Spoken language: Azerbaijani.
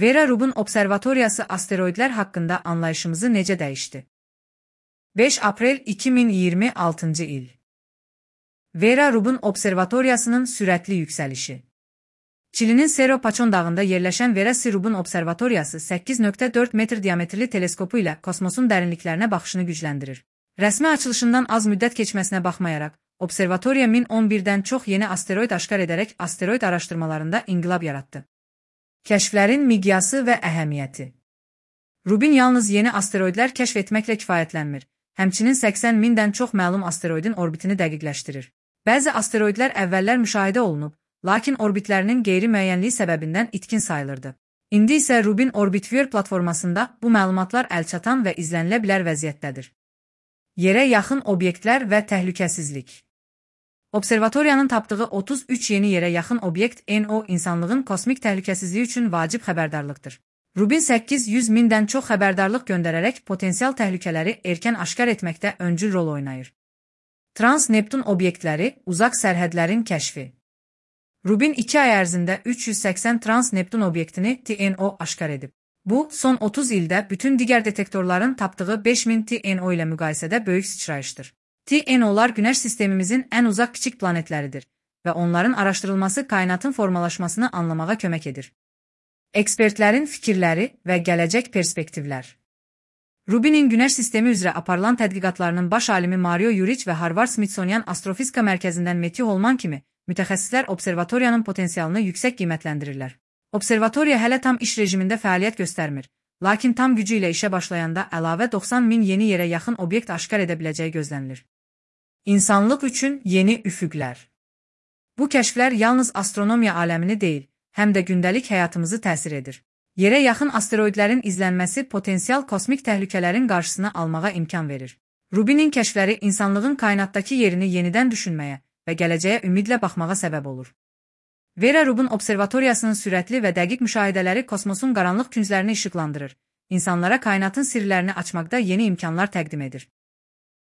Vera Rubin Observatoriyası asteroidlər haqqında anlayışımızı necə dəyişdi? 5 aprel 2026 il. Vera Rubin Observatoriyasının sürətli yüksəlişi. Çilinin Cerro Pachón dağında yerləşən Vera C. Rubin Observatoriyası 8,4 metr diametrli teleskopu ilə kosmosun dərinliklərinə baxışını gücləndirir. Rəsmi açılışından az müddət keçməsinə baxmayaraq, observatoriya 1011-dən çox yeni asteroid aşkar edərək asteroid araşdırmalarında inqilab yaratdı. Kəşflərin miqyası və əhəmiyyəti. Rubin yalnız yeni asteroidlər kəşf etməklə kifayətlənmir, həmçinin 80 mindən çox məlum asteroidin orbitini dəqiqləşdirir. Bəzi asteroidlər əvvəllər müşahidə olunub, lakin orbitlərinin qeyri-müəyyənliyi səbəbindən itkin sayılırdı. İndi isə Rubin Orbit Viewer platformasında bu məlumatlar əlçatan və izlənilə bilər vəziyyətdədir. Yerə yaxın obyektlər və təhlükəsizlik. Observatoriyanın tapdığı 33 yeni yerə yaxın obyekt NO insanlığın kosmik təhlükəsizliyi üçün vacib xəbərdarlıqdır. Rubin 800 mindən çox xəbərdarlıq göndərərək potensial təhlükələri erkən aşkar etməkdə öncül rol oynayır. Trans-Neptun obyektləri, uzaq sərhədlərin kəşfi. Rubin 2 ay ərzində 380 Trans-Neptun obyektini TNO aşkar edib. Bu, son 30 ildə bütün digər detektorların tapdığı 5000 TNO ilə müqayisədə böyük sıçrayışdır. TNO'lar Günəş sistemimizin ən uzaq kiçik planetləridir və onların araşdırılması kainatın formalaşmasını anlamağa kömək edir. Ekspertlərin fikirləri və gələcək perspektivlər. Rubinin Günəş sistemi üzrə aparılan tədqiqatlarının baş alimi Mario Yurich və Harvard Smithsonian Astrofizika Mərkəzindən Matthew Holman kimi mütəxəssislər observatoriyanın potensialını yüksək qiymətləndirirlər. Observatoriya hələ tam iş rejimində fəaliyyət göstərmir, lakin tam gücü ilə işə başlayanda əlavə 90 min yeni yerə yaxın obyekt aşkar edə biləcəyi gözlənilir. İnsanlıq üçün yeni üfüqlər. Bu kəşflər yalnız astronomiya aləmini deyil, həm də gündəlik həyatımızı təsir edir. Yerə yaxın asteroidlərin izlənməsi potensial kosmik təhlükələrin qarşısını almağa imkan verir. Rubinin kəşfləri insanlığın kainatdakı yerini yenidən düşünməyə və gələcəyə ümidlə baxmağa səbəb olur. Vera Rubin Observatoriyasının sürətli və dəqiq müşahidələri kosmosun qaranlıq künclərini işıqlandırır, insanlara kainatın sirlərini açmaqda yeni imkanlar təqdim edir.